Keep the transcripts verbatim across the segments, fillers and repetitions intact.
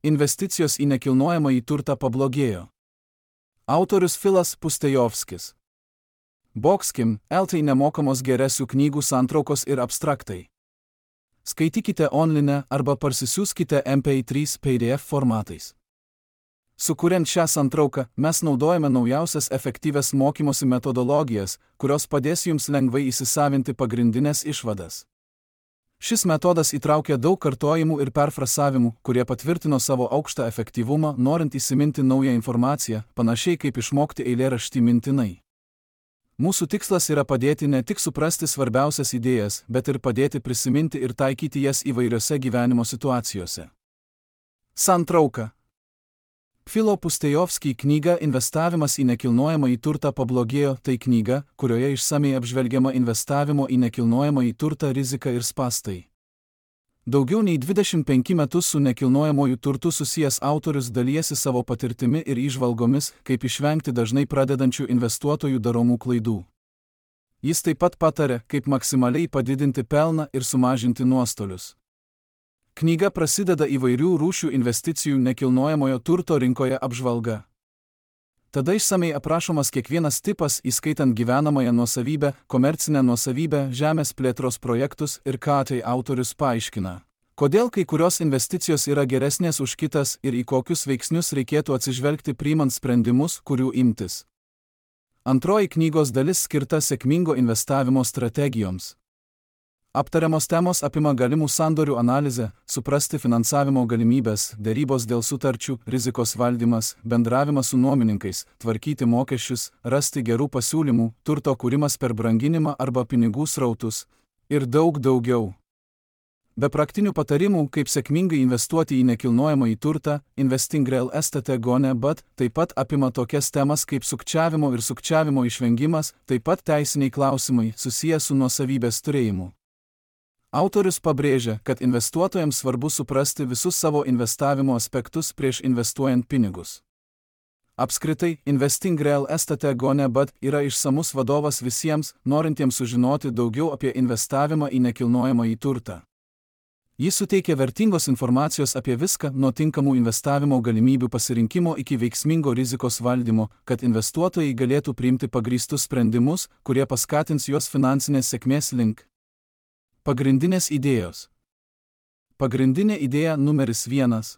Investicijos į nekilnojamąjį turtą pablogėjo. Autorius Filas Pustejovskis. Boxkim, L T nemokamos geresių knygų santraukos ir abstraktai. Skaitykite online arba parsisiųskite M P trys P D F formatais. Sukuriant šią santrauką, mes naudojame naujausias efektyvias mokymosi metodologijas, kurios padės jums lengvai įsisavinti pagrindinės išvadas. Šis metodas įtraukia daug kartojimų ir perfrasavimų, kurie patvirtino savo aukštą efektyvumą, norint įsiminti naują informaciją, panašiai kaip išmokti eilėraštį mintinai. Mūsų tikslas yra padėti ne tik suprasti svarbiausias idėjas, bet ir padėti prisiminti ir taikyti jas įvairiose gyvenimo situacijose. Santrauka. Filo Pustejovskij knyga Investavimas į nekilnojamąjį turtą pablogėjo – tai knyga, kurioje išsamiai apžvelgiama investavimo į nekilnojamąjį turtą rizika ir spąstai. Daugiau nei dvidešimt penkis metus su nekilnojamuoju turtu susijęs autorius dalijasi savo patirtimi ir įžvalgomis, kaip išvengti dažnai pradedančių investuotojų daromų klaidų. Jis taip pat pataria, kaip maksimaliai padidinti pelną ir sumažinti nuostolius. Knyga prasideda įvairių rūšių investicijų nekilnojamojo turto rinkoje apžvalga. Tada išsamei aprašomas kiekvienas tipas, įskaitant gyvenamąją nuosavybę, komercinę nuosavybę, žemės plėtros projektus ir ką tai autorius paaiškina. Kodėl kai kurios investicijos yra geresnės už kitas ir į kokius veiksnius reikėtų atsižvelgti priimant sprendimus, kurių imtis. Antroji knygos dalis skirta sėkmingo investavimo strategijoms. Aptariamos temos apima galimų sandorių analizę, suprasti finansavimo galimybės, derybos dėl sutarčių, rizikos valdymas, bendravimas su nuomininkais, tvarkyti mokesčius, rasti gerų pasiūlymų, turto kūrimas per branginimą arba pinigų srautus ir daug daugiau. Be praktinių patarimų, kaip sėkmingai investuoti į nekilnojamąjį turtą, Investing Real Estate Gone But taip pat apima tokias temas kaip sukčiavimo ir sukčiavimo išvengimas, taip pat teisiniai klausimai susiję su nuosavybės turėjimu. Autorius pabrėžia, kad investuotojams svarbu suprasti visus savo investavimo aspektus prieš investuojant pinigus. Apskritai, Investing Real Estate Gone But yra išsamus vadovas visiems, norintiems sužinoti daugiau apie investavimą į nekilnojamąjį turtą. Jis suteikia vertingos informacijos apie viską, nuo tinkamų investavimo galimybių pasirinkimo iki veiksmingo rizikos valdymo, kad investuotojai galėtų priimti pagrįstus sprendimus, kurie paskatins juos finansinės sėkmės link. Pagrindinės idėjos. Pagrindinė idėja numeris vienas.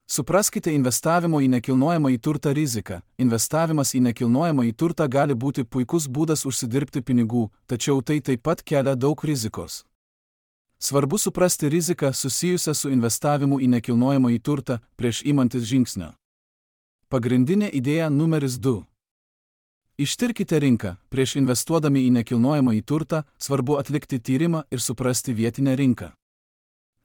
Supraskite investavimo į nekilnojamąjį turtą riziką. Investavimas į nekilnojamąjį turtą gali būti puikus būdas užsidirbti pinigų, tačiau tai taip pat kelia daug rizikos. Svarbu suprasti riziką susijusią su investavimu į nekilnojamąjį turtą prieš imantis žingsnio. Pagrindinė idėja numeris du. Ištirkite rinką. Prieš investuodami į nekilnojamąjį turtą, svarbu atlikti tyrimą ir suprasti vietinę rinką.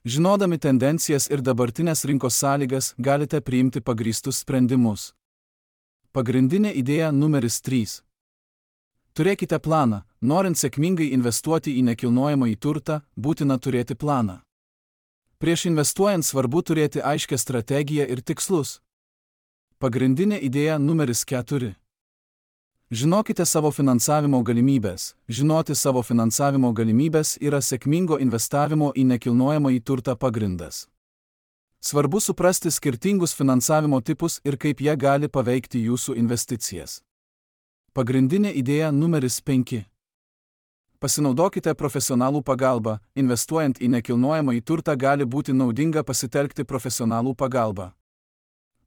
Žinodami tendencijas ir dabartinės rinkos sąlygas, galite priimti pagrįstus sprendimus. Pagrindinė idėja numeris trys. Turėkite planą. Norint sėkmingai investuoti į nekilnojamąjį turtą, būtina turėti planą. Prieš investuojant svarbu turėti aiškią strategiją ir tikslus. Pagrindinė idėja numeris keturi. Žinokite savo finansavimo galimybės. Žinoti savo finansavimo galimybės yra sėkmingo investavimo į nekilnojamąjį turtą pagrindas. Svarbu suprasti skirtingus finansavimo tipus ir kaip jie gali paveikti jūsų investicijas. Pagrindinė idėja numeris penki. Pasinaudokite profesionalų pagalbą. Investuojant į nekilnojamąjį turtą gali būti naudinga pasitelkti profesionalų pagalbą.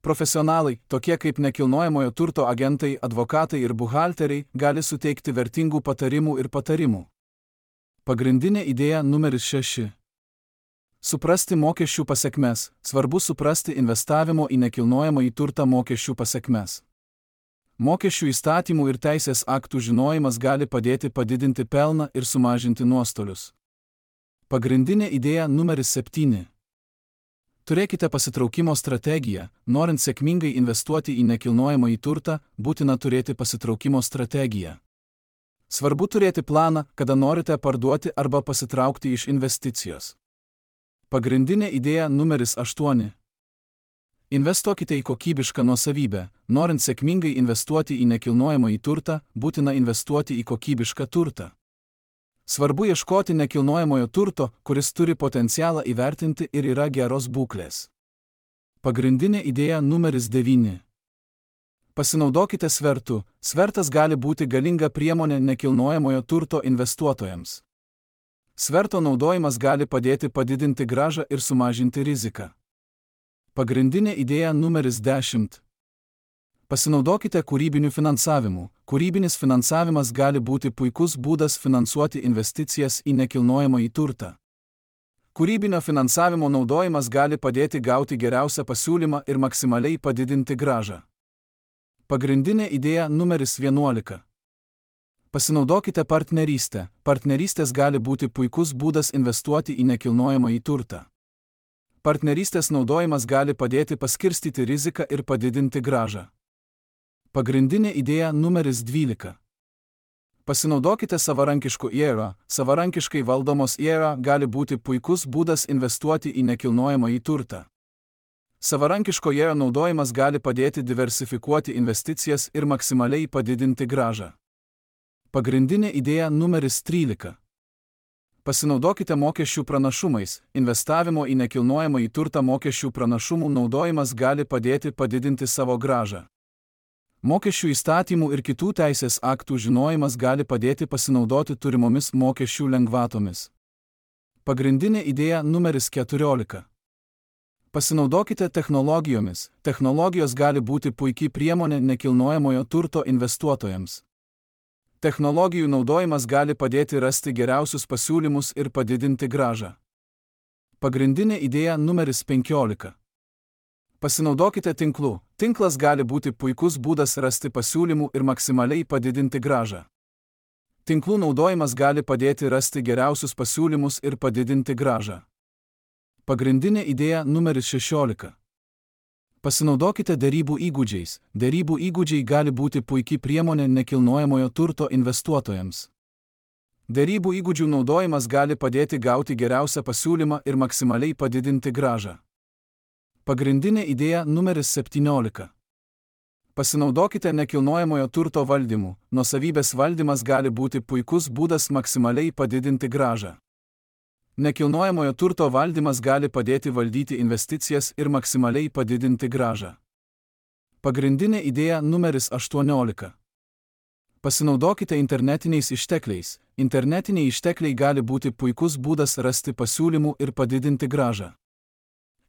Profesionalai, tokie kaip nekilnojamojo turto agentai, advokatai ir buhalteriai, gali suteikti vertingų patarimų ir patarimų. Pagrindinė idėja numeris šeši. Suprasti mokesčių pasekmes. Svarbu suprasti investavimo į nekilnojamąjį turtą mokesčių pasekmes. Mokesčių įstatymų ir teisės aktų žinojimas gali padėti padidinti pelną ir sumažinti nuostolius. Pagrindinė idėja numeris septyni. Turėkite pasitraukimo strategiją. Norint sėkmingai investuoti į nekilnojamąjį turtą, būtina turėti pasitraukimo strategiją. Svarbu turėti planą, kada norite parduoti arba pasitraukti iš investicijos. Pagrindinė idėja numeris aštuoni. Investuokite į kokybišką nuosavybę. Norint sėkmingai investuoti į nekilnojamąjį turtą, būtina investuoti į kokybišką turtą. Svarbu ieškoti nekilnojamojo turto, kuris turi potencialą įvertinti ir yra geros būklės. Pagrindinė idėja numeris devyni. Pasinaudokite svertu. Svertas gali būti galinga priemonė nekilnojamojo turto investuotojams. Sverto naudojimas gali padėti padidinti grąžą ir sumažinti riziką. Pagrindinė idėja numeris dešimt. Pasinaudokite kūrybiniu finansavimu. Kūrybinis finansavimas gali būti puikus būdas finansuoti investicijas į nekilnojamąjį turtą. Kūrybinio finansavimo naudojimas gali padėti gauti geriausią pasiūlymą ir maksimaliai padidinti grąžą. Pagrindinė idėja numeris vienuolika. Pasinaudokite partnerystę. Partnerystės gali būti puikus būdas investuoti į nekilnojamąjį turtą. Partnerystės naudojimas gali padėti paskirstyti riziką ir padidinti grąžą. Pagrindinė idėja numeris dvylika. Pasinaudokite savarankišku I R A. Savarankiškai valdomos I R A gali būti puikus būdas investuoti į nekilnojamąjį turtą. Savarankiško I R A naudojimas gali padėti diversifikuoti investicijas ir maksimaliai padidinti grąžą. Pagrindinė idėja numeris trylika. Pasinaudokite mokesčių pranašumais. Investavimo į nekilnojamąjį turtą mokesčių pranašumų naudojimas gali padėti padidinti savo grąžą. Mokesčių įstatymų ir kitų teisės aktų žinojimas gali padėti pasinaudoti turimomis mokesčių lengvatomis. Pagrindinė idėja numeris keturiolika. Pasinaudokite technologijomis. Technologijos gali būti puikiai priemonė nekilnojamojo turto investuotojams. Technologijų naudojimas gali padėti rasti geriausius pasiūlymus ir padidinti grąžą. Pagrindinė idėja numeris penkiolika. Pasinaudokite tinklu. Tinklas gali būti puikus būdas rasti pasiūlymų ir maksimaliai padidinti grąžą. Tinklų naudojimas gali padėti rasti geriausius pasiūlymus ir padidinti grąžą. Pagrindinė idėja numeris šešiolika. Pasinaudokite derybų įgūdžiais. Derybų įgūdžiai gali būti puikiai priemonė nekilnojamojo turto investuotojams. Derybų įgūdžių naudojimas gali padėti gauti geriausią pasiūlymą ir maksimaliai padidinti grąžą. Pagrindinė idėja numeris septyniolika. Pasinaudokite nekilnojamojo turto valdymu. Nuosavybės valdymas gali būti puikus būdas maksimaliai padidinti grąžą. Nekilnojamojo turto valdymas gali padėti valdyti investicijas ir maksimaliai padidinti grąžą. Pagrindinė idėja numeris aštuoniolika. Pasinaudokite internetiniais ištekliais. Internetiniai ištekliai gali būti puikus būdas rasti pasiūlymų ir padidinti grąžą.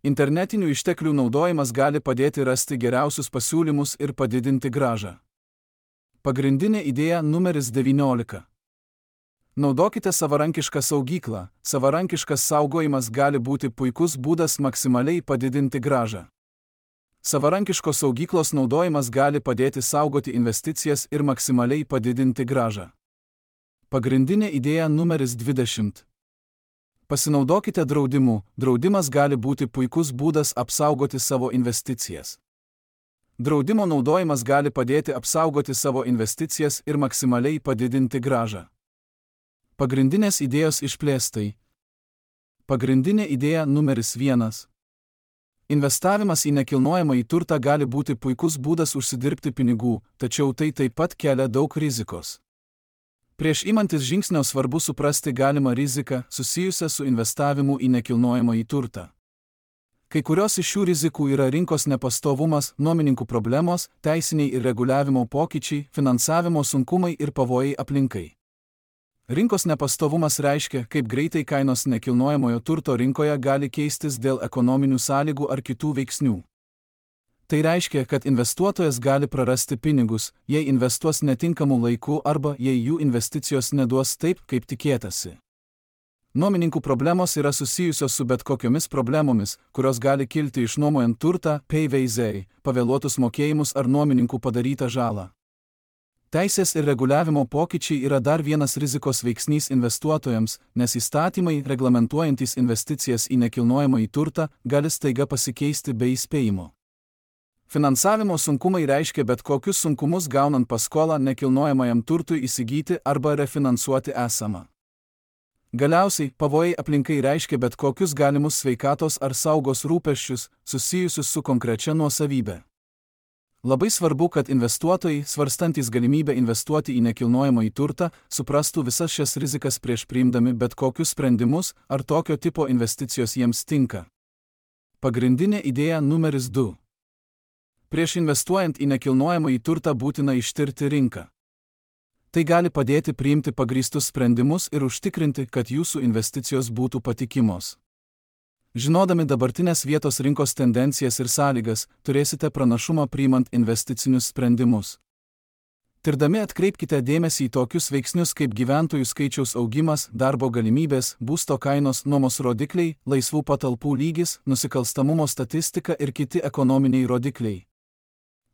Internetinių išteklių naudojimas gali padėti rasti geriausius pasiūlymus ir padidinti grąžą. Pagrindinė idėja numeris devyniolika. Naudokite savarankišką saugyklą. Savarankiškas saugojimas gali būti puikus būdas maksimaliai padidinti grąžą. Savarankiškos saugyklos naudojimas gali padėti saugoti investicijas ir maksimaliai padidinti grąžą. Pagrindinė idėja numeris dvidešimt. Pasinaudokite draudimu. Draudimas gali būti puikus būdas apsaugoti savo investicijas. Draudimo naudojimas gali padėti apsaugoti savo investicijas ir maksimaliai padidinti grąžą. Pagrindinės idėjos išplėstai. Pagrindinė idėja numeris vienas. Investavimas į nekilnojamąjį turtą gali būti puikus būdas užsidirbti pinigų, tačiau tai taip pat kelia daug rizikos. Prieš imantis žingsnio svarbu suprasti galimą riziką susijusią su investavimu į nekilnojamąjį turtą. Kai kurios iš šių rizikų yra rinkos nepastovumas, nuomininkų problemos, teisiniai ir reguliavimo pokyčiai, finansavimo sunkumai ir pavojai aplinkai. Rinkos nepastovumas reiškia, kaip greitai kainos nekilnojamojo turto rinkoje gali keistis dėl ekonominių sąlygų ar kitų veiksnių. Tai reiškia, kad investuotojas gali prarasti pinigus, jei investuos netinkamu laiku arba jei jų investicijos neduos taip, kaip tikėtasi. Nuomininkų problemos yra susijusios su bet kokiomis problemomis, kurios gali kilti išnuomojant turtą, P V Z, pavėluotus mokėjimus ar nuomininkų padarytą žalą. Teisės ir reguliavimo pokyčiai yra dar vienas rizikos veiksnys investuotojams, nes įstatymai, reglamentuojantys investicijas į nekilnojamąjį turtą, gali staiga pasikeisti be įspėjimo. Finansavimo sunkumai reiškia bet kokius sunkumus gaunant paskolą nekilnojamajam turtui įsigyti arba refinansuoti esamą. Galiausiai, pavojai aplinkai reiškia bet kokius galimus sveikatos ar saugos rūpesčius, susijusius su konkrečia nuosavybė. Labai svarbu, kad investuotojai, svarstantys galimybę investuoti į nekilnojamąjį turtą, suprastų visas šias rizikas prieš priimdami bet kokius sprendimus, ar tokio tipo investicijos jiems tinka. Pagrindinė idėja numeris du. Prieš investuojant į nekilnojamąjį turtą būtina ištirti rinką. Tai gali padėti priimti pagrįstus sprendimus ir užtikrinti, kad jūsų investicijos būtų patikimos. Žinodami dabartinės vietos rinkos tendencijas ir sąlygas, turėsite pranašumą priimant investicinius sprendimus. Tirdami atkreipkite dėmesį į tokius veiksnius kaip gyventojų skaičiaus augimas, darbo galimybės, būsto kainos, nuomos rodikliai, laisvų patalpų lygis, nusikalstamumo statistika ir kiti ekonominiai rodikliai.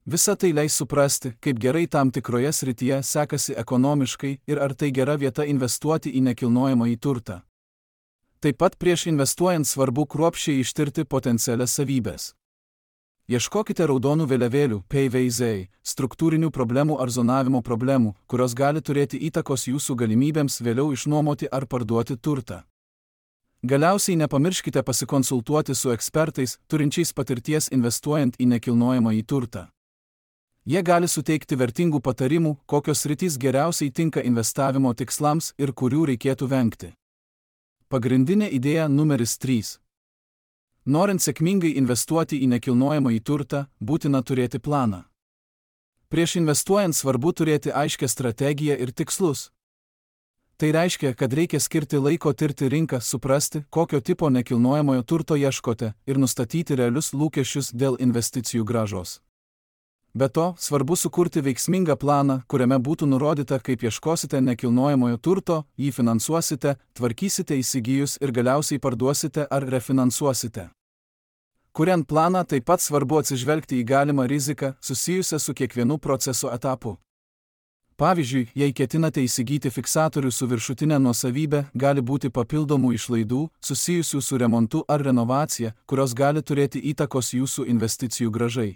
Visa tai leis suprasti, kaip gerai tam tikroje srityje sekasi ekonomiškai ir ar tai gera vieta investuoti į nekilnojamąjį turtą. Taip pat prieš investuojant svarbu kruopščiai ištirti potencialias savybės. Ieškokite raudonų vėliavėlių, P V Z, struktūrinių problemų ar zonavimo problemų, kurios gali turėti įtakos jūsų galimybėms vėliau išnuomoti ar parduoti turtą. Galiausiai nepamirškite pasikonsultuoti su ekspertais, turinčiais patirties investuojant į nekilnojamąjį turtą. Jie gali suteikti vertingų patarimų, kokios sritys geriausiai tinka investavimo tikslams ir kurių reikėtų vengti. Pagrindinė idėja numeris trys. Norint sėkmingai investuoti į nekilnojamąjį turtą, būtina turėti planą. Prieš investuojant svarbu turėti aiškią strategiją ir tikslus. Tai reiškia, kad reikia skirti laiko tirti rinką, suprasti, kokio tipo nekilnojamojo turto ieškote ir nustatyti realius lūkesčius dėl investicijų grąžos. Be to, svarbu sukurti veiksmingą planą, kuriame būtų nurodyta, kaip ieškosite nekilnojamojo turto, jį finansuosite, tvarkysite įsigijus ir galiausiai parduosite ar refinansuosite. Kuriant planą, taip pat svarbu atsižvelgti į galimą riziką susijusią su kiekvienu proceso etapu. Pavyzdžiui, jei ketinate įsigyti fiksatorių su viršutinė nuosavybė, gali būti papildomų išlaidų susijusių su remontu ar renovacija, kurios gali turėti įtakos jūsų investicijų grąžai.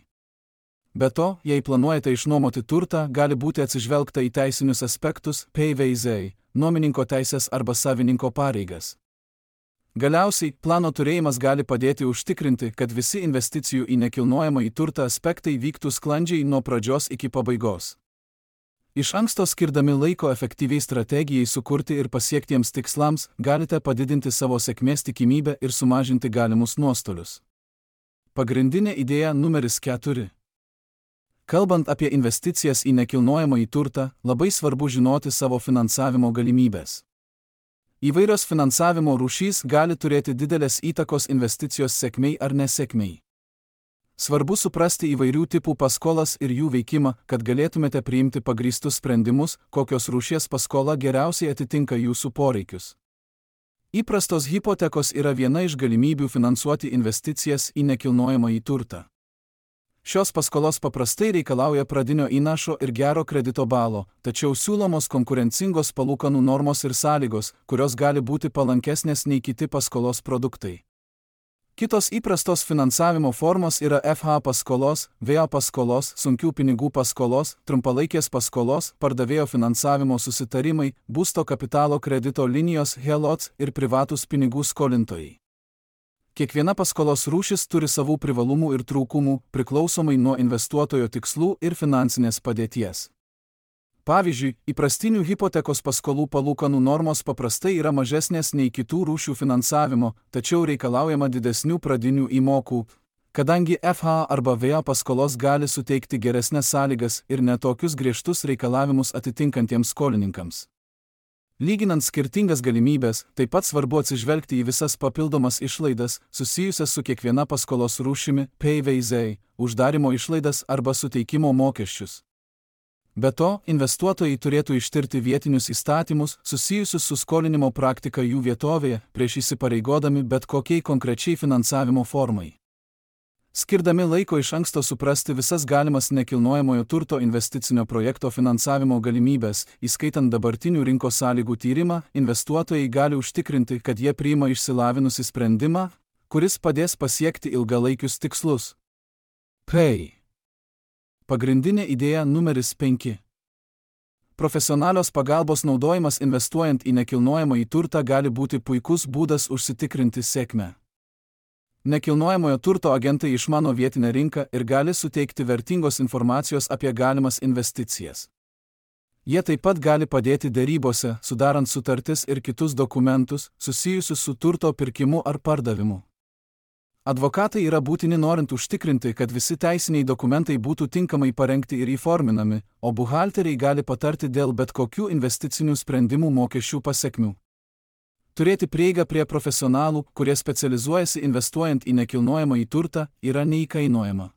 Be to, jei planuojate išnuomoti turtą, gali būti atsižvelgta į teisinius aspektus, P V Z, nuomininko teisės arba savininko pareigas. Galiausiai, plano turėjimas gali padėti užtikrinti, kad visi investicijų į nekilnojamąjį turtą aspektai vyktų sklandžiai nuo pradžios iki pabaigos. Iš anksto skirdami laiko efektyviai strategijai sukurti ir pasiektiems tikslams, galite padidinti savo sėkmės tikimybę ir sumažinti galimus nuostolius. Pagrindinė idėja numeris keturi. Kalbant apie investicijas į nekilnojamąjį turtą, labai svarbu žinoti savo finansavimo galimybės. Įvairios finansavimo rūšys gali turėti didelės įtakos investicijos sėkmei ar nesėkmei. Svarbu suprasti įvairių tipų paskolas ir jų veikimą, kad galėtumėte priimti pagrįstus sprendimus, kokios rūšies paskola geriausiai atitinka jūsų poreikius. Įprastos hipotekos yra viena iš galimybių finansuoti investicijas į nekilnojamąjį turtą. Šios paskolos paprastai reikalauja pradinio įnašo ir gero kredito balo, tačiau siūlomos konkurencingos palūkanų normos ir sąlygos, kurios gali būti palankesnės nei kiti paskolos produktai. Kitos įprastos finansavimo formos yra F H paskolos, V A paskolos, sunkių pinigų paskolos, trumpalaikės paskolos, pardavėjo finansavimo susitarimai, būsto kapitalo kredito linijos H E L O T S ir privatūs pinigų skolintojai. Kiekviena paskolos rūšis turi savų privalumų ir trūkumų, priklausomai nuo investuotojo tikslų ir finansinės padėties. Pavyzdžiui, įprastinių hipotekos paskolų palūkanų normos paprastai yra mažesnės nei kitų rūšių finansavimo, tačiau reikalaujama didesnių pradinių įmokų, kadangi F H arba V A paskolos gali suteikti geresnes sąlygas ir netokius griežtus reikalavimus atitinkantiems skolininkams. Lyginant skirtingas galimybės, taip pat svarbu atsižvelgti į visas papildomas išlaidas, susijusias su kiekviena paskolos rūšimi, P V Z, uždarimo išlaidas arba suteikimo mokesčius. Be to, investuotojai turėtų ištirti vietinius įstatymus, susijusius su skolinimo praktika jų vietovėje, prieš įsipareigodami bet kokiai konkrečiai finansavimo formai. Skirdami laiko iš anksto suprasti visas galimas nekilnojamojo turto investicinio projekto finansavimo galimybės, įskaitant dabartinių rinkos sąlygų tyrimą, investuotojai gali užtikrinti, kad jie priima išsilavinusį sprendimą, kuris padės pasiekti ilgalaikius tikslus. P. Pagrindinė idėja numeris penki. Profesionalios pagalbos naudojimas investuojant į nekilnojamąjį turtą gali būti puikus būdas užsitikrinti sėkmę. Nekilnojamojo turto agentai išmano vietinę rinką ir gali suteikti vertingos informacijos apie galimas investicijas. Jie taip pat gali padėti derybose, sudarant sutartis ir kitus dokumentus, susijusius su turto pirkimu ar pardavimu. Advokatai yra būtini norint užtikrinti, kad visi teisiniai dokumentai būtų tinkamai parengti ir įforminami, o buhalteriai gali patarti dėl bet kokių investicinių sprendimų mokesčių pasekmių. Turėti prieigą prie profesionalų, kurie specializuojasi investuojant į nekilnojamąjį turtą, yra neįkainojama.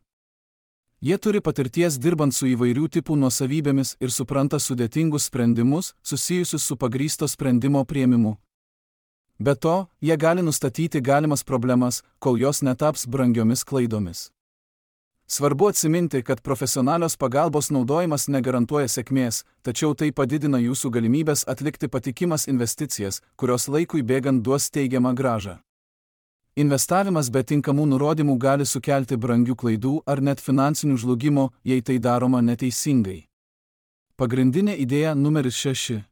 Jie turi patirties dirbant su įvairių tipų nuosavybėmis ir supranta sudėtingus sprendimus, susijusius su pagrįsto sprendimo priėmimu. Be to, jie gali nustatyti galimas problemas, kol jos netaps brangiomis klaidomis. Svarbu atsiminti, kad profesionalios pagalbos naudojimas negarantuoja sėkmės, tačiau tai padidina jūsų galimybės atlikti patikimas investicijas, kurios laikui bėgant duos teigiamą grąžą. Investavimas be tinkamų nurodymų gali sukelti brangių klaidų ar net finansinių žlugimo, jei tai daroma neteisingai. Pagrindinė idėja numeris šeši.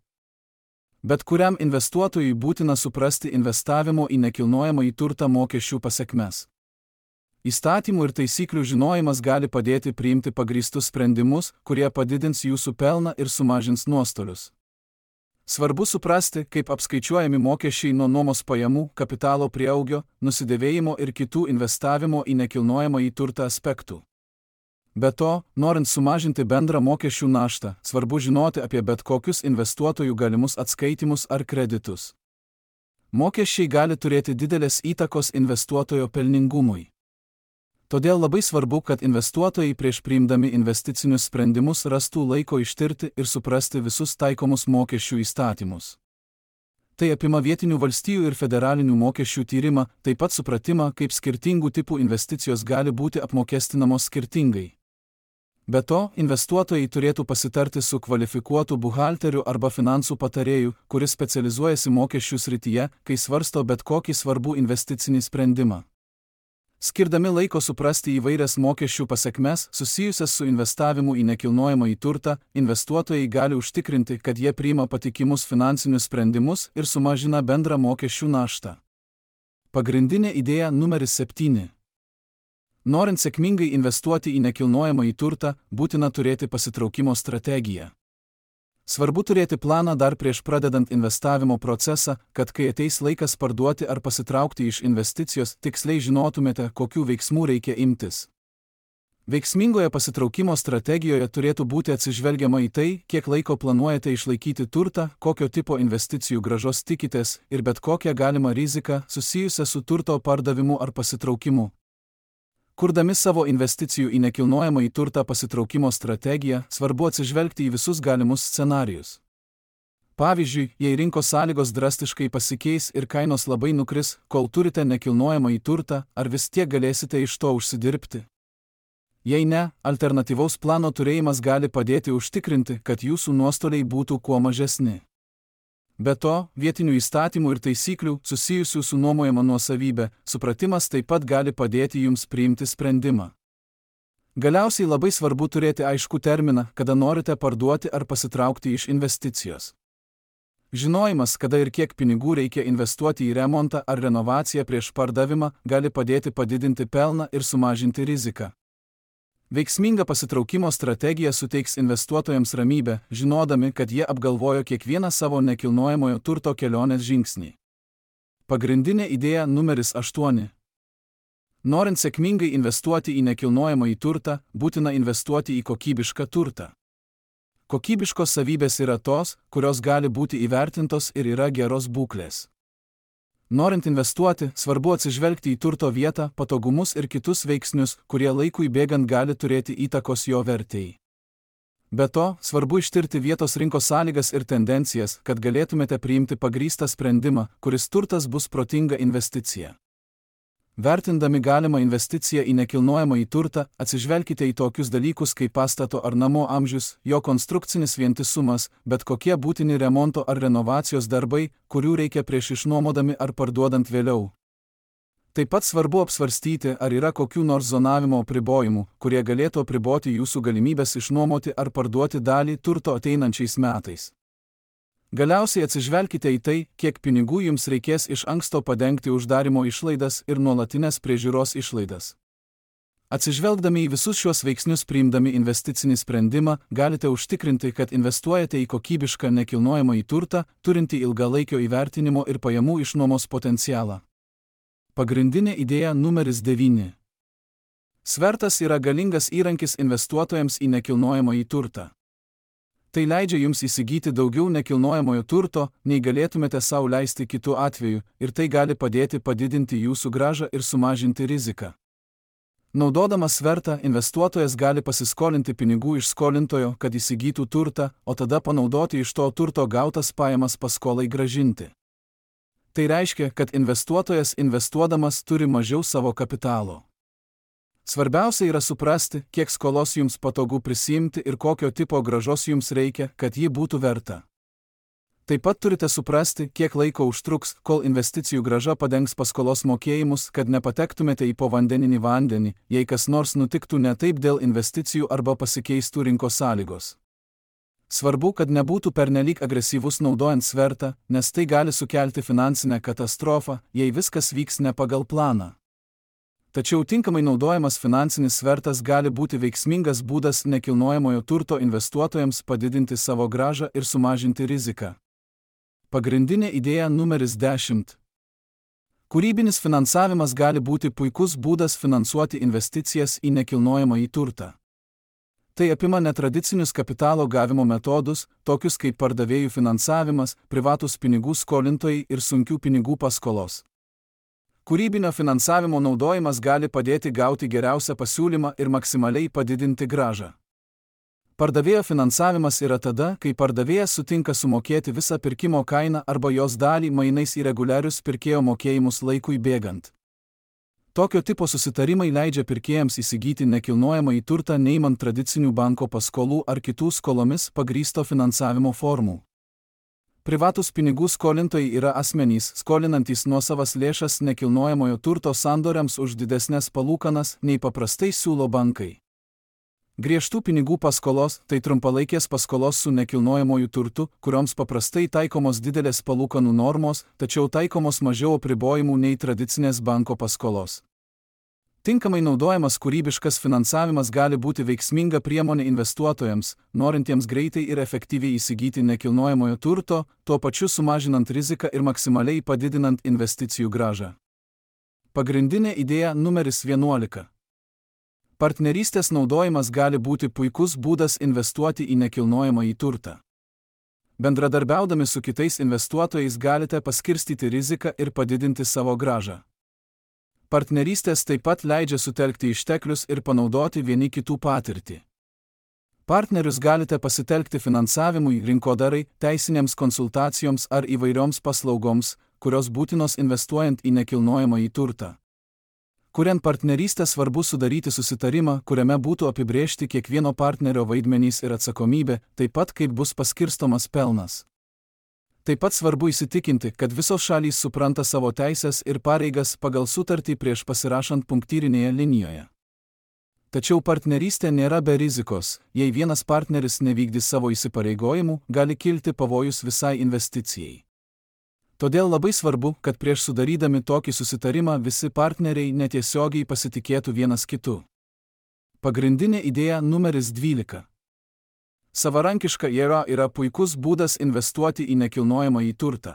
Bet kuriam investuotojui būtina suprasti investavimo į nekilnojamąjį turtą mokesčių pasekmes. Įstatymų ir taisyklių žinojimas gali padėti priimti pagrįstus sprendimus, kurie padidins jūsų pelną ir sumažins nuostolius. Svarbu suprasti, kaip apskaičiuojami mokesčiai nuo nuomos pajamų, kapitalo prieaugio, nusidėvėjimo ir kitų investavimo į nekilnojamąjį turtą aspektų. Be to, norint sumažinti bendrą mokesčių naštą, svarbu žinoti apie bet kokius investuotojų galimus atskaitimus ar kreditus. Mokesčiai gali turėti didelės įtakos investuotojo pelningumui. Todėl labai svarbu, kad investuotojai prieš priimdami investicinius sprendimus rastų laiko ištirti ir suprasti visus taikomus mokesčių įstatymus. Tai apima vietinių valstijų ir federalinių mokesčių tyrimą, taip pat supratimą, kaip skirtingų tipų investicijos gali būti apmokestinamos skirtingai. Be to, investuotojai turėtų pasitarti su kvalifikuotu buhalteriu arba finansų patarėju, kuris specializuojasi mokesčių srityje, kai svarsto bet kokį svarbų investicinį sprendimą. Skirdami laiko suprasti įvairias mokesčių pasekmes susijusias su investavimu į nekilnojamąjį turtą, investuotojai gali užtikrinti, kad jie priima patikimus finansinius sprendimus ir sumažina bendrą mokesčių naštą. Pagrindinė idėja numeris septyni. Norint sėkmingai investuoti į nekilnojamąjį turtą, būtina turėti pasitraukimo strategiją. Svarbu turėti planą dar prieš pradedant investavimo procesą, kad kai ateis laikas parduoti ar pasitraukti iš investicijos, tiksliai žinotumėte, kokių veiksmų reikia imtis. Veiksmingoje pasitraukimo strategijoje turėtų būti atsižvelgiama į tai, kiek laiko planuojate išlaikyti turtą, kokio tipo investicijų grąžos tikitės ir bet kokią galimą riziką susijusią su turto pardavimu ar pasitraukimu. Kurdami savo investicijų į nekilnojamąjį turtą pasitraukimo strategiją, svarbu atsižvelgti į visus galimus scenarijus. Pavyzdžiui, jei rinkos sąlygos drastiškai pasikeis ir kainos labai nukris, kol turite nekilnojamąjį turtą, ar vis tiek galėsite iš to užsidirbti? Jei ne, alternatyvaus plano turėjimas gali padėti užtikrinti, kad jūsų nuostoliai būtų kuo mažesni. Be to, vietinių įstatymų ir taisyklių, susijusių su nuomojama nuosavybė, supratimas taip pat gali padėti jums priimti sprendimą. Galiausiai labai svarbu turėti aiškų terminą, kada norite parduoti ar pasitraukti iš investicijos. Žinojimas, kada ir kiek pinigų reikia investuoti į remontą ar renovaciją prieš pardavimą, gali padėti padidinti pelną ir sumažinti riziką. Veiksminga pasitraukimo strategija suteiks investuotojams ramybę, žinodami, kad jie apgalvojo kiekvieną savo nekilnojamojo turto kelionės žingsnį. Pagrindinė idėja numeris aštuoni. Norint sėkmingai investuoti į nekilnojamąjį turtą, būtina investuoti į kokybišką turtą. Kokybiškos savybės yra tos, kurios gali būti įvertintos ir yra geros būklės. Norint investuoti, svarbu atsižvelgti į turto vietą, patogumus ir kitus veiksnius, kurie laikui bėgant gali turėti įtakos jo vertei. Be to, svarbu ištirti vietos rinkos sąlygas ir tendencijas, kad galėtumėte priimti pagrįstą sprendimą, kuris turtas bus protinga investicija. Vertindami galimą investiciją į nekilnojamąjį turtą, atsižvelkite į tokius dalykus kaip pastato ar namo amžius, jo konstrukcinis vientisumas, bet kokie būtini remonto ar renovacijos darbai, kurių reikia prieš išnuomodami ar parduodant vėliau. Taip pat svarbu apsvarstyti, ar yra kokių nors zonavimo apribojimų, kurie galėtų apriboti jūsų galimybės išnuomoti ar parduoti dalį turto ateinančiais metais. Galiausiai atsižvelkite į tai, kiek pinigų jums reikės iš anksto padengti uždarimo išlaidas ir nuolatinės priežiūros išlaidas. Atsižvelgdami į visus šiuos veiksnius priimdami investicinį sprendimą, galite užtikrinti, kad investuojate į kokybišką nekilnojamąjį turtą, turintį ilgalaikio įvertinimo ir pajamų išnuomos potencialą. Pagrindinė idėja numeris devyni. Svertas yra galingas įrankis investuotojams į nekilnojamąjį turtą. Tai leidžia jums įsigyti daugiau nekilnojamojo turto, nei galėtumėte sau leisti kitu atveju, ir tai gali padėti padidinti jūsų grąžą ir sumažinti riziką. Naudodamas svertą, investuotojas gali pasiskolinti pinigų iš skolintojo, kad įsigytų turtą, o tada panaudoti iš to turto gautas pajamas paskolai grąžinti. Tai reiškia, kad investuotojas investuodamas turi mažiau savo kapitalo. Svarbiausia yra suprasti, kiek skolos jums patogu prisiimti ir kokio tipo grąžos jums reikia, kad ji būtų verta. Taip pat turite suprasti, kiek laiko užtruks, kol investicijų grąža padengs paskolos mokėjimus, kad nepatektumėte į povandeninį vandenį, jei kas nors nutiktų ne taip dėl investicijų arba pasikeistų rinkos sąlygos. Svarbu, kad nebūtų pernelyg agresyvus naudojant svertą, nes tai gali sukelti finansinę katastrofą, jei viskas vyks ne pagal planą. Tačiau tinkamai naudojamas finansinis svertas gali būti veiksmingas būdas nekilnojamojo turto investuotojams padidinti savo grąžą ir sumažinti riziką. Pagrindinė idėja numeris dešimt. Kūrybinis finansavimas gali būti puikus būdas finansuoti investicijas į nekilnojamąjį turtą. Tai apima netradicinius kapitalo gavimo metodus, tokius kaip pardavėjų finansavimas, privatus pinigų skolintojai ir sunkių pinigų paskolos. Kūrybinio finansavimo naudojimas gali padėti gauti geriausią pasiūlymą ir maksimaliai padidinti grąžą. Pardavėjo finansavimas yra tada, kai pardavėjas sutinka sumokėti visą pirkimo kainą arba jos dalį mainais į reguliarius pirkėjo mokėjimus laikui bėgant. Tokio tipo susitarimai leidžia pirkėjams įsigyti nekilnojamąjį turtą neimant tradicinių banko paskolų ar kitų skolomis pagrįsto finansavimo formų. Privatus pinigų skolintojai yra asmenys, skolinantys nuosavas lėšas nekilnojamojo turto sandoriams už didesnės palūkanas, nei paprastai siūlo bankai. Griežtų pinigų paskolos – tai trumpalaikės paskolos su nekilnojamoju turtu, kurioms paprastai taikomos didelės palūkanų normos, tačiau taikomos mažiau apribojimų nei tradicinės banko paskolos. Tinkamai naudojamas kūrybiškas finansavimas gali būti veiksminga priemonė investuotojams, norintiems greitai ir efektyviai įsigyti nekilnojamojo turto, tuo pačiu sumažinant riziką ir maksimaliai padidinant investicijų grąžą. Pagrindinė idėja numeris vienuolika. Partnerystės naudojimas gali būti puikus būdas investuoti į nekilnojamąjį turtą. Bendradarbiaudami su kitais investuotojais galite paskirstyti riziką ir padidinti savo grąžą. Partnerystės taip pat leidžia sutelkti išteklius ir panaudoti vieni kitų patirtį. Partnerius galite pasitelkti finansavimui, rinkodarai, teisinėms konsultacijoms ar įvairioms paslaugoms, kurios būtinos investuojant į nekilnojamąjį turtą. Kuriant partnerystę svarbu sudaryti susitarimą, kuriame būtų apibrėžti kiekvieno partnerio vaidmenys ir atsakomybė, taip pat kaip bus paskirstomas pelnas. Taip pat svarbu įsitikinti, kad visos šalys supranta savo teisės ir pareigas pagal sutartį prieš pasirašant punktyrinėje linijoje. Tačiau partnerystė nėra be rizikos, jei vienas partneris nevykdys savo įsipareigojimų, gali kilti pavojus visai investicijai. Todėl labai svarbu, kad prieš sudarydami tokį susitarimą visi partneriai netiesiogiai pasitikėtų vienas kitu. Pagrindinė idėja numeris dvylika. Savarankiška jėga yra puikus būdas investuoti į nekilnojamąjį turtą.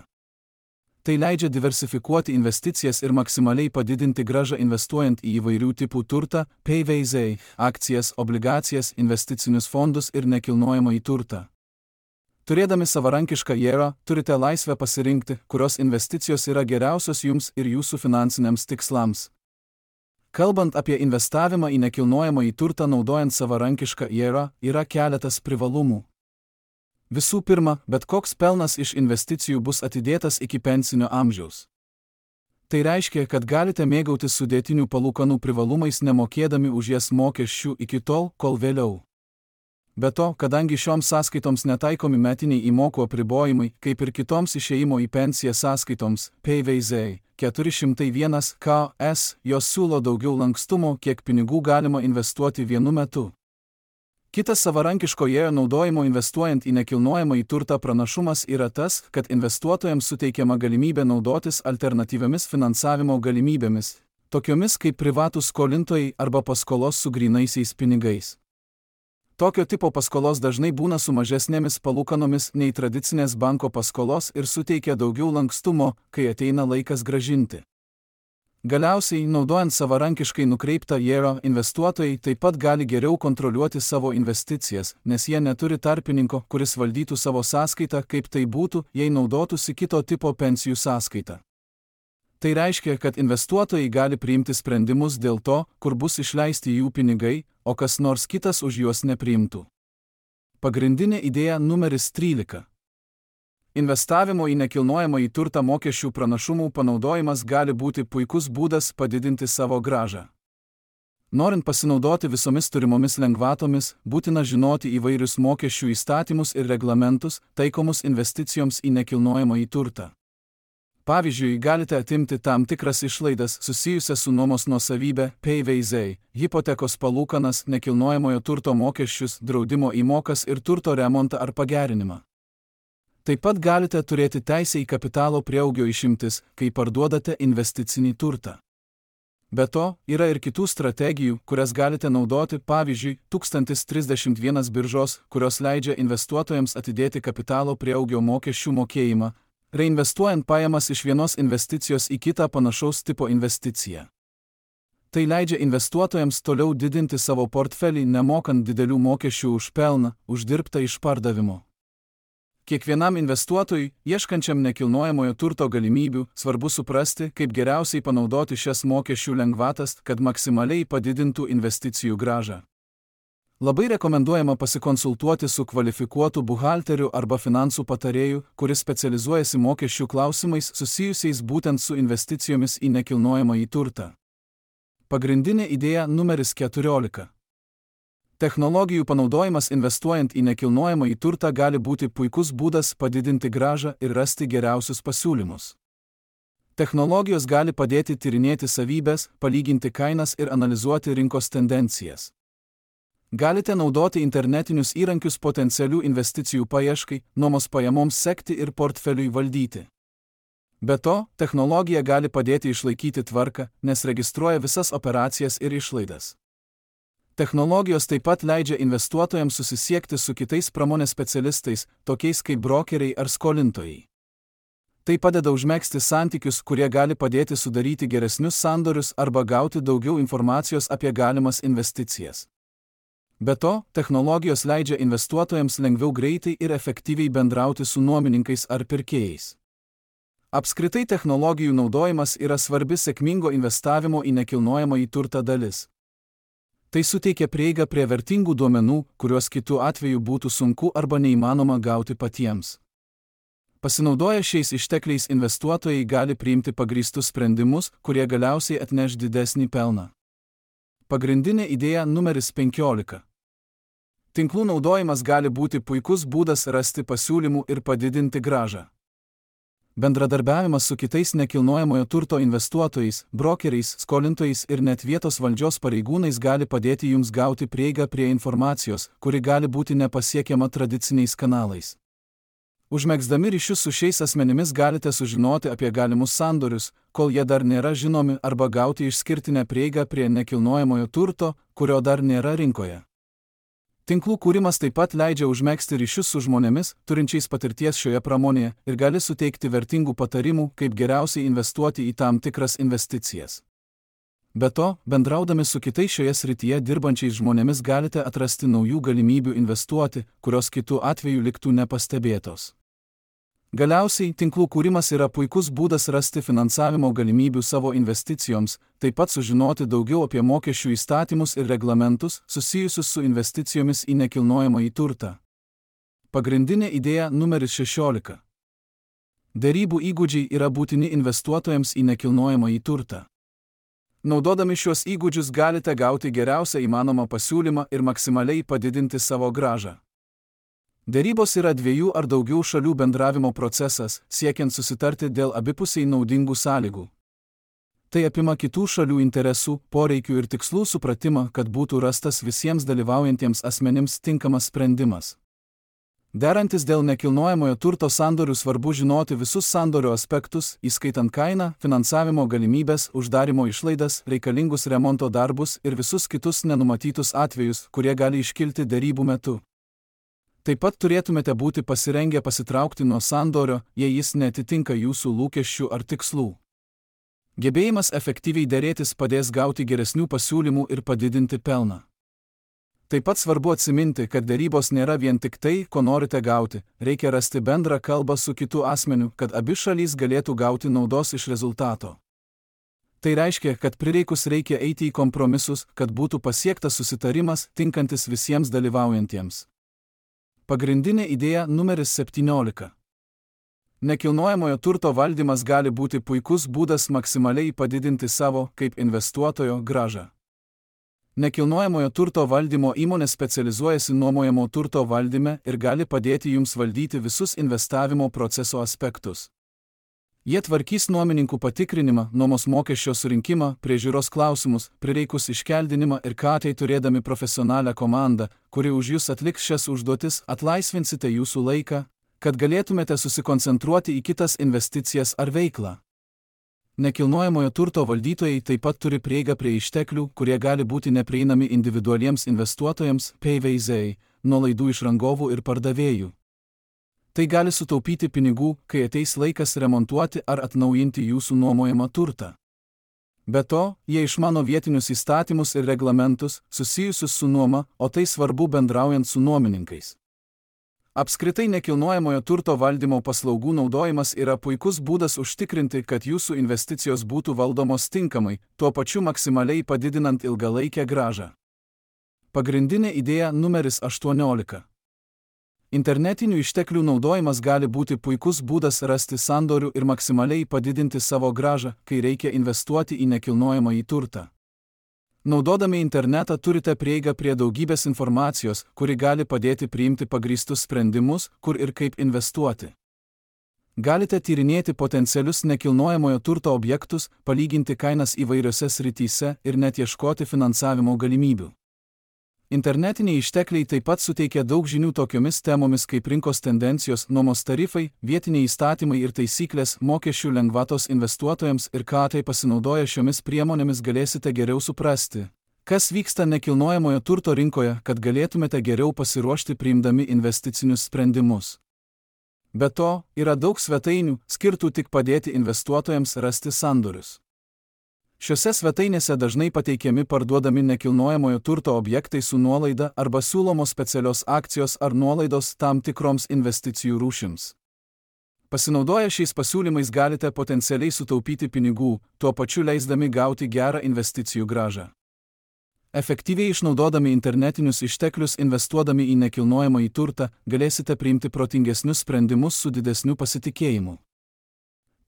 Tai leidžia diversifikuoti investicijas ir maksimaliai padidinti grąžą investuojant į įvairių tipų turtą, P V Z, akcijas, obligacijas, investicinius fondus ir nekilnojamąjį turtą. Turėdami savarankišką jėgą, turite laisvę pasirinkti, kurios investicijos yra geriausios jums ir jūsų finansiniams tikslams. Kalbant apie investavimą į nekilnojamąjį turtą naudojant savarankišką jėgą, yra keletas privalumų. Visų pirma, bet koks pelnas iš investicijų bus atidėtas iki pensinio amžiaus. Tai reiškia, kad galite mėgautis sudėtinių palūkanų privalumais nemokėdami už jas mokesčių iki tol, kol vėliau. Be to, kadangi šioms sąskaitoms netaikomi metiniai įmokų apribojimai, kaip ir kitoms išėjimo į pensiją sąskaitoms, P V Z keturi šimtai vienas K S, jos siūlo daugiau lankstumo, kiek pinigų galima investuoti vienu metu. Kitas savarankiško jėgų naudojimo investuojant į nekilnojamąjį turtą pranašumas yra tas, kad investuotojams suteikiama galimybė naudotis alternatyviamis finansavimo galimybėmis, tokiomis kaip privatūs skolintojai arba paskolos su grynaisiais pinigais. Tokio tipo paskolos dažnai būna su mažesnėmis palūkanomis nei tradicinės banko paskolos ir suteikia daugiau lankstumo, kai ateina laikas grąžinti. Galiausiai, naudojant savarankiškai nukreiptą I R A, investuotojai taip pat gali geriau kontroliuoti savo investicijas, nes jie neturi tarpininko, kuris valdytų savo sąskaitą, kaip tai būtų, jei naudotųsi kito tipo pensijų sąskaitą. Tai reiškia, kad investuotojai gali priimti sprendimus dėl to, kur bus išleisti jų pinigai, o kas nors kitas už juos nepriimtų. Pagrindinė idėja numeris trylika. Investavimo į nekilnojamąjį turtą mokesčių pranašumų panaudojimas gali būti puikus būdas padidinti savo grąžą. Norint pasinaudoti visomis turimomis lengvatomis, būtina žinoti įvairius mokesčių įstatymus ir reglamentus, taikomus investicijoms į nekilnojamąjį turtą. Pavyzdžiui, galite atimti tam tikras išlaidas susijusias su nuomos nuosavybė, P V Z, hipotekos palūkanas, nekilnojamojo turto mokesčius, draudimo įmokas ir turto remontą ar pagerinimą. Taip pat galite turėti teisę į kapitalo prieaugio išimtis, kai parduodate investicinį turtą. Be to, yra ir kitų strategijų, kurias galite naudoti, pavyzdžiui, tūkstantis trisdešimt vienas biržos, kurios leidžia investuotojams atidėti kapitalo prieaugio mokesčių mokėjimą, reinvestuojant pajamas iš vienos investicijos į kitą panašaus tipo investiciją. Tai leidžia investuotojams toliau didinti savo portfelį, nemokant didelių mokesčių už pelną, uždirbtą iš pardavimo. Kiekvienam investuotojui, ieškančiam nekilnojamojo turto galimybių, svarbu suprasti, kaip geriausiai panaudoti šias mokesčių lengvatas, kad maksimaliai padidintų investicijų grąžą. Labai rekomenduojama pasikonsultuoti su kvalifikuotu buhalteriu arba finansų patarėju, kuris specializuojasi mokesčių klausimais susijusiais būtent su investicijomis į nekilnojamąjį turtą. Pagrindinė idėja numeris keturiolika. Technologijų panaudojimas investuojant į nekilnojamąjį turtą gali būti puikus būdas padidinti grąžą ir rasti geriausius pasiūlymus. Technologijos gali padėti tyrinėti savybes, palyginti kainas ir analizuoti rinkos tendencijas. Galite naudoti internetinius įrankius potencialių investicijų paieškai, nuomos pajamoms sekti ir portfeliui valdyti. Be to, technologija gali padėti išlaikyti tvarką, nes registruoja visas operacijas ir išlaidas. Technologijos taip pat leidžia investuotojams susisiekti su kitais pramonės specialistais, tokiais kaip brokeriai ar skolintojai. Tai padeda užmegzti santykius, kurie gali padėti sudaryti geresnius sandorius arba gauti daugiau informacijos apie galimas investicijas. Be to, technologijos leidžia investuotojams lengviau greitai ir efektyviai bendrauti su nuomininkais ar pirkėjais. Apskritai technologijų naudojimas yra svarbi sėkmingo investavimo į nekilnojamąjį turtą dalis. Tai suteikia prieigą prie vertingų duomenų, kuriuos kitu atveju būtų sunku arba neįmanoma gauti patiems. Pasinaudoję šiais ištekliais investuotojai gali priimti pagrįstus sprendimus, kurie galiausiai atneš didesnį pelną. Pagrindinė idėja numeris penkiolika. Tinklų naudojimas gali būti puikus būdas rasti pasiūlymų ir padidinti grąžą. Bendradarbiavimas su kitais nekilnojamojo turto investuotojais, brokeriais, skolintojais ir net vietos valdžios pareigūnais gali padėti jums gauti prieigą prie informacijos, kuri gali būti nepasiekiama tradiciniais kanalais. Užmegzdami ryšius su šiais asmenimis galite sužinoti apie galimus sandorius, kol jie dar nėra žinomi, arba gauti išskirtinę prieigą prie nekilnojamojo turto, kurio dar nėra rinkoje. Tinklų kūrimas taip pat leidžia užmegzti ryšius su žmonėmis, turinčiais patirties šioje pramonėje, ir gali suteikti vertingų patarimų, kaip geriausiai investuoti į tam tikras investicijas. Be to, bendraudami su kitais šioje srityje dirbančiais žmonėmis galite atrasti naujų galimybių investuoti, kurios kitų atveju liktų nepastebėtos. Galiausiai, tinklų kūrimas yra puikus būdas rasti finansavimo galimybių savo investicijoms, taip pat sužinoti daugiau apie mokesčių įstatymus ir reglamentus susijusius su investicijomis į nekilnojamąjį turtą. Pagrindinė idėja numeris šešiolika. Derybų įgūdžiai yra būtini investuotojams į nekilnojamąjį turtą. Naudodami šios įgūdžius galite gauti geriausią įmanomą pasiūlymą ir maksimaliai padidinti savo grąžą. Derybos yra dviejų ar daugiau šalių bendravimo procesas, siekiant susitarti dėl abipusiai naudingų sąlygų. Tai apima kitų šalių interesų, poreikių ir tikslų supratimą, kad būtų rastas visiems dalyvaujantiems asmenims tinkamas sprendimas. Derantis dėl nekilnojamojo turto sandorių svarbu žinoti visus sandorio aspektus, įskaitant kainą, finansavimo galimybės, uždarimo išlaidas, reikalingus remonto darbus ir visus kitus nenumatytus atvejus, kurie gali iškilti derybų metu. Taip pat turėtumėte būti pasirengę pasitraukti nuo sandorio, jei jis neatitinka jūsų lūkesčių ar tikslų. Gebėjimas efektyviai dėrėtis padės gauti geresnių pasiūlymų ir padidinti pelną. Taip pat svarbu atsiminti, kad dėrybos nėra vien tik tai, ko norite gauti, reikia rasti bendrą kalbą su kitu asmeniu, kad abi šalys galėtų gauti naudos iš rezultato. Tai reiškia, kad prireikus reikia eiti į kompromisus, kad būtų pasiektas susitarimas, tinkantis visiems dalyvaujantiems. Pagrindinė idėja numeris septyniolika. Nekilnojamojo turto valdymas gali būti puikus būdas maksimaliai padidinti savo, kaip investuotojo, grąžą. Nekilnojamojo turto valdymo įmonė specializuojasi nuomojamo turto valdyme ir gali padėti jums valdyti visus investavimo proceso aspektus. Jie tvarkys nuomininkų patikrinimą, nuomos mokesčio surinkimą, priežiūros klausimus, prireikus iškeldinimą ir ką tai turėdami profesionalią komandą, kuri už jūs atliks šias užduotis, atlaisvinsite jūsų laiką, kad galėtumėte susikoncentruoti į kitas investicijas ar veiklą. Nekilnojamojo turto valdytojai taip pat turi prieigą prie išteklių, kurie gali būti neprieinami individualiems investuotojams, P V Z, nuolaidų iš rangovų ir pardavėjų. Tai gali sutaupyti pinigų, kai ateis laikas remontuoti ar atnaujinti jūsų nuomojamą turtą. Be to, jie išmano vietinius įstatymus ir reglamentus, susijusius su nuoma, o tai svarbu bendraujant su nuomininkais. Apskritai nekilnojamojo turto valdymo paslaugų naudojimas yra puikus būdas užtikrinti, kad jūsų investicijos būtų valdomos tinkamai, tuo pačiu maksimaliai padidinant ilgalaikę grąžą. Pagrindinė idėja numeris aštuoniolika. Internetinių išteklių naudojimas gali būti puikus būdas rasti sandorių ir maksimaliai padidinti savo grąžą, kai reikia investuoti į nekilnojamąjį turtą. Naudodami internetą turite prieigą prie daugybės informacijos, kuri gali padėti priimti pagrįstus sprendimus, kur ir kaip investuoti. Galite tyrinėti potencialius nekilnojamojo turto objektus, palyginti kainas įvairiose srityse ir net ieškoti finansavimo galimybių. Internetiniai ištekliai taip pat suteikia daug žinių tokiomis temomis kaip rinkos tendencijos, nuomos tarifai, vietiniai įstatymai ir taisyklės, mokesčių lengvatos investuotojams ir ką tai pasinaudoję šiomis priemonėmis galėsite geriau suprasti, kas vyksta nekilnojamojo turto rinkoje, kad galėtumėte geriau pasiruošti priimdami investicinius sprendimus. Be to, yra daug svetainių, skirtų tik padėti investuotojams rasti sandorius. Šiose svetainėse dažnai pateikiami parduodami nekilnojamojo turto objektai su nuolaida arba siūlomos specialios akcijos ar nuolaidos tam tikroms investicijų rūšims. Pasinaudoję šiais pasiūlymais galite potencialiai sutaupyti pinigų, tuo pačiu leisdami gauti gerą investicijų grąžą. Efektyviai išnaudodami internetinius išteklius investuodami į nekilnojamąjį turtą, galėsite priimti protingesnius sprendimus su didesniu pasitikėjimu.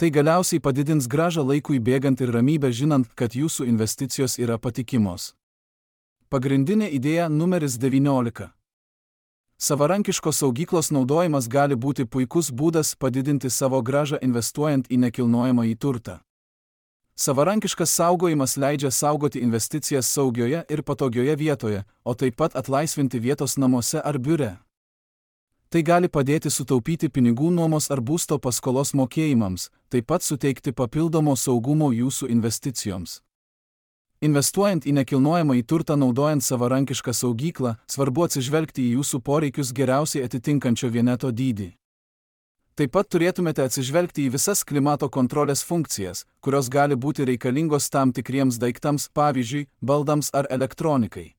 Tai galiausiai padidins grąžą laikui bėgant ir ramybę žinant, kad jūsų investicijos yra patikimos. Pagrindinė idėja numeris devyniolika. Savarankiškos saugyklos naudojimas gali būti puikus būdas padidinti savo grąžą investuojant į nekilnojamąjį turtą. Savarankiškas saugojimas leidžia saugoti investicijas saugioje ir patogioje vietoje, o taip pat atlaisvinti vietos namuose ar biure. Tai gali padėti sutaupyti pinigų nuomos ar būsto paskolos mokėjimams, taip pat suteikti papildomo saugumo jūsų investicijoms. Investuojant į nekilnojamąjį turtą naudojant savarankišką saugyklą, svarbu atsižvelgti į jūsų poreikius geriausiai atitinkančio vieneto dydį. Taip pat turėtumėte atsižvelgti į visas klimato kontrolės funkcijas, kurios gali būti reikalingos tam tikriems daiktams, pavyzdžiui, baldams ar elektronikai.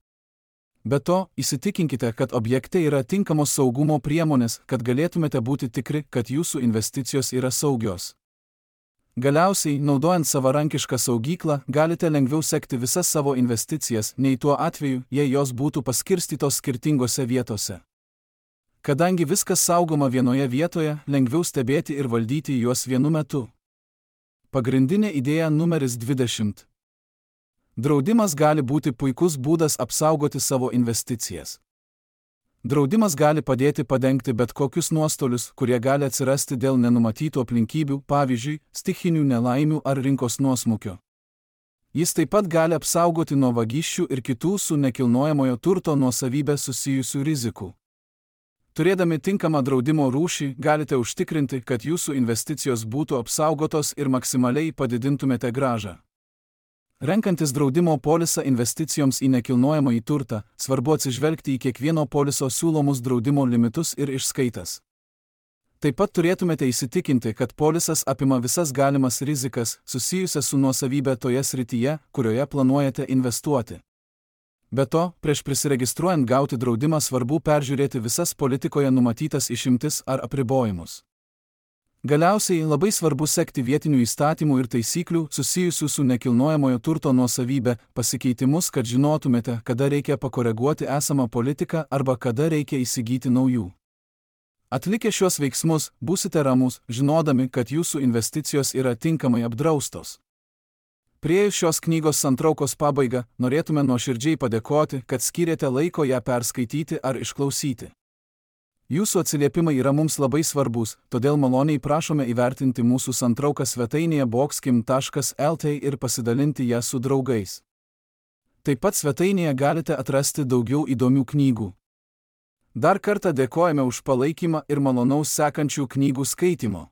Be to, įsitikinkite, kad objekte yra tinkamos saugumo priemonės, kad galėtumėte būti tikri, kad jūsų investicijos yra saugios. Galiausiai, naudojant savarankišką saugyklą, galite lengviau sekti visas savo investicijas, nei tuo atveju, jei jos būtų paskirstytos skirtingose vietose. Kadangi viskas saugoma vienoje vietoje, lengviau stebėti ir valdyti juos vienu metu. Pagrindinė idėja numeris dvidešimt. Draudimas gali būti puikus būdas apsaugoti savo investicijas. Draudimas gali padėti padengti bet kokius nuostolius, kurie gali atsirasti dėl nenumatytų aplinkybių, pavyzdžiui, stichinių nelaimių ar rinkos nuosmukio. Jis taip pat gali apsaugoti nuo vagysčių ir kitų su nekilnojamojo turto nuosavybė susijusių rizikų. Turėdami tinkamą draudimo rūšį, galite užtikrinti, kad jūsų investicijos būtų apsaugotos ir maksimaliai padidintumėte grąžą. Renkantis draudimo polisą investicijoms į nekilnojamąjį turtą, svarbu atsižvelgti į kiekvieno poliso siūlomus draudimo limitus ir išskaitas. Taip pat turėtumėte įsitikinti, kad polisas apima visas galimas rizikas susijusias su nuosavybė toje srityje, kurioje planuojate investuoti. Be to, prieš prisiregistruojant gauti draudimą svarbu peržiūrėti visas politikoje numatytas išimtis ar apribojimus. Galiausiai labai svarbu sekti vietinių įstatymų ir taisyklių susijusių su nekilnojamojo turto nuosavybė pasikeitimus, kad žinotumėte, kada reikia pakoreguoti esamą politiką arba kada reikia įsigyti naujų. Atlikę šios veiksmus, būsite ramus, žinodami, kad jūsų investicijos yra tinkamai apdraustos. Priėjus šios knygos santraukos pabaigą, norėtume nuoširdžiai padėkoti, kad skyrėte laiko ją perskaityti ar išklausyti. Jūsų atsiliepimai yra mums labai svarbus, todėl maloniai prašome įvertinti mūsų santrauką svetainėje boxkim taškas lt ir pasidalinti ją su draugais. Taip pat svetainėje galite atrasti daugiau įdomių knygų. Dar kartą dėkojame už palaikymą ir malonaus sekančių knygų skaitimo.